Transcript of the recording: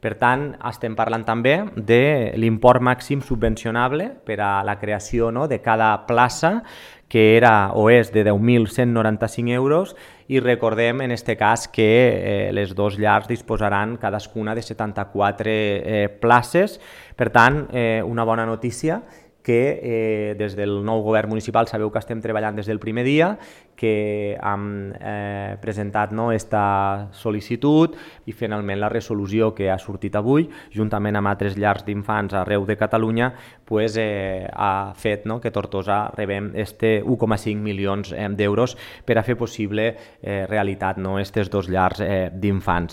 Per tant, estem parlant també de l'import màxim subvencionable per a la creació, no, de cada plaça, que era o és de 10.195 euros, i recordem en aquest cas que les dues llars disposaran cadascuna de 74 places. Per tant, una bona notícia, que des del nou govern municipal sabeu que estem treballant des del primer dia, que hem presentat esta sol·licitud, i finalment la resolució que ha sortit avui, juntament amb altres llars d'infants arreu de Catalunya, ha fet que Tortosa rebem 1,5 milions d'euros per a fer possible realitat aquestes dues llars d'infants.